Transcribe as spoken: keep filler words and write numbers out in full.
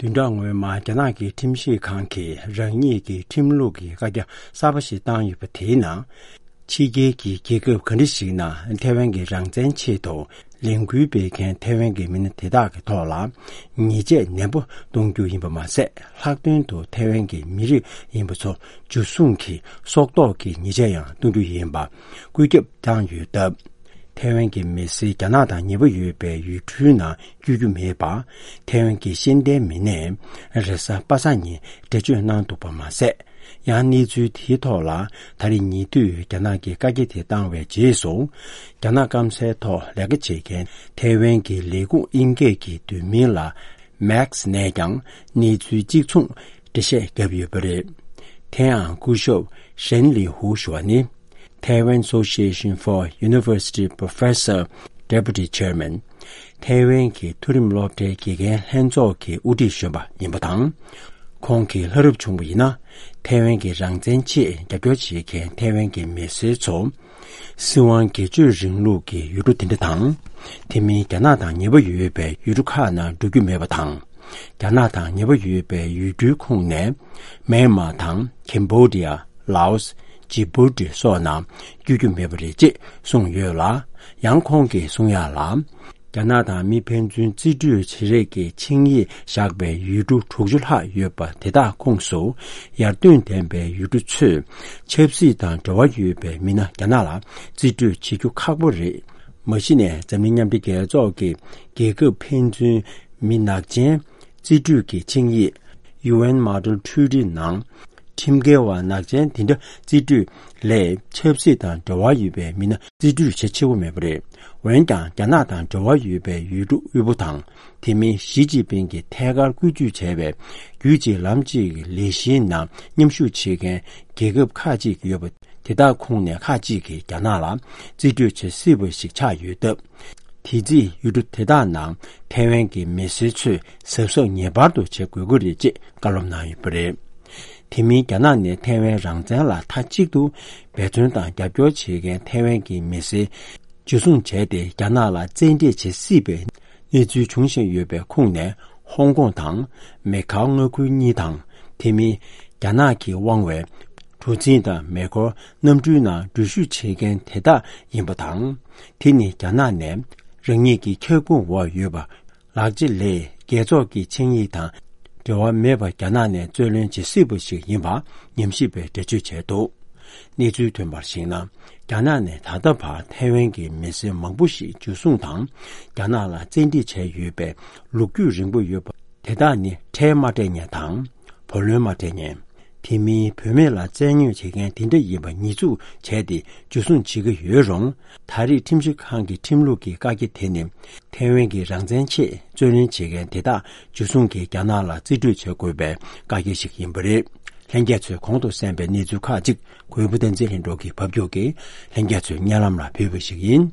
བདུན་ཕྲག་སྔོན་མ་རྒྱ་ནག་གི་ཁྲིམས་ཞིབ་ཁང་གིས་རང་ཉིད་ཀྱི་ཁྲིམས་ལུགས་ཀྱི་བཀའ་རྒྱ་གསར་པ་ཞིག་བཏང་ཡོད་པ་དེའི་ནང་། ཕྱི་རྒྱལ་གྱི་རྒྱལ་ཁབ་ག་འདྲ་ཞིག་ནང་ཐའེ་ཝན་གྱི་རང་བཙན་ཆེད་དུ་ལས་འགུལ་སྤེལ་མཁན་ཐའེ་ཝན་གྱི་མི་སྣ་དེ་དག་གི་ཐོག་ལ་ཉེས་ཆད་ནན་པོ་གཏོང་རྒྱུ་ཡིན་པ་མ་ཟད། ལྷག་དོན་དུ་ཐའེ་ཝན་གྱི་མི་རིགས་ཡིན་པ་ཚོ་འཇུ་བཟུང་གིས་སྲོག་ཐོག་གི་ཉེས་ཆད་ཡང་གཏོང་རྒྱུ་ཡིན་པ་བཀོད་ཁྱབ་བཏང་ཡོད་སྟབས། ཐའེ་ཝན་གྱི་མི་སེར་རྒྱ་ནག་དང་ཉེ་པོ་ཡོད་པའི་ཡུལ་གྲུའི་ནང་བསྐྱོད་རྒྱུ་མེད་པ། ཐའེ་ཝན་གྱི་ཤེས་ལྡན་མི་སྣས་རེས་གཟའ་པ་སངས་ཉིན་འགྲེལ་བརྗོད་གནང་འདུག་པ་མ་ཟད། ཡང་གནས་ཚུལ་དེའི་ཐོག་ལ་ད་རེས་ཉེ་དུས་རྒྱ་ནག་གིས་བཀའ་རྒྱ་དེ་བཏང་བའི་རྗེས་སུ། རྒྱ་ནག་སྐམ་སའི་ཐོག་ལས་ཀ་བྱེད་མཁན་ཐའེ་ཝན་གྱི་ལས་ཁུངས་དབྱིན་སྐད་ཀྱི་བསྡུས་མིང་ལ་མེག་སི་ནས་ཀྱང་གནས་ཚུལ་གཅིག་མཚུངས་འགྲེལ་བཤད་བརྒྱབ་ཡོད་པ་རེད། དེ་ཡང་སྐུ་ཞབས་ཧྲན་ལི་ཧུ་ཞུ་བ་ནི། Taiwan Association for University Professor Deputy Chairman། ཐའེ་ཝན་གྱི་མཐོ་རིམ་སློབ་གྲྭའི་དགེ་རྒན་ལྷན་ཚོགས་ཀྱི་དབུ་ཁྲིད་གཞོན་པ་ཡིན་པ་དང་། ཁོང་གིས་ལྷ་རབ་བྱུང་བ་ཡིན་ན། ཐའེ་ཝན་གྱི་རང་བཙན་ཆེད་རྒྱབ་སྐྱོར་བྱེད་མཁན་ཐའེ་ཝན་གྱི་མི་སེར་ཚོ། སྲིད་དབང་སྒེར་གཅོད་རིང་ལུགས་ཀྱི་ཡུལ་གྲུ་དེ་འདྲ་དང་། དེ་མིན་རྒྱ་ནག་དང་ཉེ་པོ་ཡོད་པའི་ཡུལ་གྲུ་ཁག་ནང་འགྲོ་རྒྱུ་མེད་པ་དང་། རྒྱ་ནག་དང་ཉེ་པོ་ཡོད་པའི་ཡུལ་གྲུའི་ཁོངས་ནས། མེན་མར་དང་ཁེམ་བྷོ་ཌི་ཡ། ལའོ་སི། ཇི་བྷུ་ཏི་སོགས་ནང་བསྐྱོད་རྒྱུ་མེད་པ་རེད་ཅེས་གསུངས་ཡོད་ལ། ཡང་ཁོང་གིས་གསུང་ཡག་ལ། རྒྱ་ནག་དང་མི་ཕན་ཚུན་རྩིས་སྤྲོད་བྱེད་རེས་ཀྱི་ཆིངས་ཡིག་བཞག་པའི་ཡུལ་གྲུ་དྲུག་ཅུ་ལྷག་ཡོད་པ་དེ་དག་ཁོངས་སུ། ཡར་ཐོན་ལྡན་པའི་ཡུལ་གྲུ་ཚོས་ཆབ་སྲིད་དང་འབྲེལ་བ་ཡོད་པའི་མི་སྣ་རྒྱ་ནག་ལ་རྩིས་སྤྲོད་བྱེད་རྒྱུ་ཁག་པོ་རེད། མ་གཞི་ནས་འཛམ་གླིང་མཉམ་འབྲེལ་རྒྱལ་ཚོགས་ཀྱི་རྒྱལ་ཁབ་ཕན་ཚུན་མི་ནག་ཅན་རྩིས་སྤྲོད་ཀྱི་ཆིངས་ཡིག་ཡུ་ཨེན་མོ་ཌེལ་ཊི་རི་ཊི་ནང་། ཁྲིམས་འགལ་བ་ནག་ཅན་དེ་འདྲ་རྩིས་སྤྲོད་ལས་ཆབ་སྲིད་དང་འབྲེལ་བ་ཡོད་པའི་མི་སྣ་རྩིས་སྤྲོད་བྱེད་ཆེ་བོ་མེད་པ་རེད། འོན་ཀྱང་རྒྱ་ནག་དང་འབྲེལ་བ་ཡོད་པའི་ཡུལ་གྲུ་དབུལ་པོ་དང་། དེ་མིན་ཞི་ཅིན་ཕིང་གིས་ཐད་ཀར་བཀོད་ཇུས་བྱས་པའི་རྒྱུད་གཅིག་ལམ་གཅིག་གི་ལས་གཞིའི་ནང་མཉམ་ཞུགས་བྱེད་མཁན་རྒྱལ་ཁབ་ཁག་ཅིག་ཡོད་པ་དེ་དག་ཁོངས་ནས་ཁག་ཅིག་གིས་རྒྱ་ནག་ལ་རྩིས་སྤྲོད་བྱེད་སྲིད་པ་ཞིག་ཆགས་ཡོད་སྟབས། དེ་རྩིས་ཡུལ་གྲུ་དེ་དག་ནང་ཐའེ་ཝན་གྱི་མི་སེར་ཚོས་གཟབ་གཟབ་ངེས་པར་དུ་བྱེད་དགོས་ཀྱི་རེད་ཅེས་བཀའ་སློབ་གནང་ཡོད་པ་རེད། དེ་མིན་རྒྱ་ནག་ནས་ཐའེ་ཝན་རང་བཙན་ལ་མཐའ་གཅིག་ཏུ་འབད་བརྩོན་དང་རྒྱབ་སྐྱོར་བྱེད་མཁན་ཐའེ་ཝན་གྱི་མི་སེར་འཇུ་བཟུང་བྱས་ཏེ་རྒྱ་ནག་ལ་བཙན་ཁྲིད་བྱེད་སྲིད་པའི་གནས་ཚུལ་འབྱུང་བཞིན་ཡོད་པའི་ཁོངས་ནས་ཧོང་ཀོང་དང་མེ་ཁའོ་མངའ་ཁུལ་གཉིས་དང་། དེ་མིན་རྒྱ་ནག་གིས་དབང་བའི་གྲུ་གཟིངས་དང་མེ་འཁོར་གནམ་གྲུའི་ནང་འགྲུལ་བཞུད་བྱེད་མཁན་དེ་དག་ཡིན་པ་དང་། དེ་ནི་རྒྱ་ནག་ནས་རང་ཉིད་ཀྱི་ཁྱབ་ཁོངས་འོག་ཡོད་པ། ལག་ཆ་ལས་རྒྱལ་ཚོགས་ཀྱི་ཆིངས་ཡིག་དང་འབྲེལ་བ་མེད་པར་རྒྱ་ནག་ནས་རྩོད་ལེན་བྱེད་སྲིད་པ་ཞིག་ཡིན་པ་ཉམས་ཞིབ་པས་འགྲེལ་བརྗོད་བྱས་འདུག། གནས་ཚུལ་ཐོན་པར་གཞིགས་ན། རྒྱ་ནག་ནས་ད་ལྟ་བར་ཐའེ་ཝན་གྱི་མི་སེར་མང་པོ་ཞིག་འཇུ་བཟུང་དང་། རྒྱ་ནག་ལ་བཙན་ཁྲིད་བྱས་ཡོད་པའི་ལོ་རྒྱུས་རིང་པོ་ཡོད་པ་དེ་དག་ནི་ཁྲལ་མ་སྤྲད་མཁན་དང་། བུ་ལོན་མ་སྤྲད་མཁན། དེ་མིན་བུད་མེད་ལ་བཙན་གནོན་བྱེད་མཁན་དེ་འདྲ་ཡིན་པ་ཉེས་འཛུགས་བྱས་ཏེ་འཇུ་བཟུང་བྱེད་ཀྱི་ཡོད་རུང་། ད་རེས་ཁྲིམས་ཞིབ་ཁང་གི་ཁྲིམས་ལུགས་ཀྱི་བཀའ་རྒྱ་དེ་ནི་ཐའེ་ཝན་གྱི་རང་བཙན་ཆེད་རྩོད་ལེན་བྱེད་མཁན་དེ་དག་འཇུ་བཟུང་གིས་རྒྱ་ནག་ལ་རྩིས་སྤྲོད་བྱེད་དགོས་པའི་བཀའ་རྒྱ་ཞིག་ཡིན་པ་རེད། ལྷན་རྒྱས་ཚོས་གོང་དུ་གསན་པའི་གནས་ཚུལ་ཁག་ཅིག་གུས་པ་བསྟན་འཛིན་ལྷུན་གྲུབ་ཀྱིས་ཕབ་སྒྱུར་གྱིས་ལྷན་རྒྱས་ཚོའི་སྙན་ལམ་ལ་ཕུལ་བ་ཞིག་ཡིན།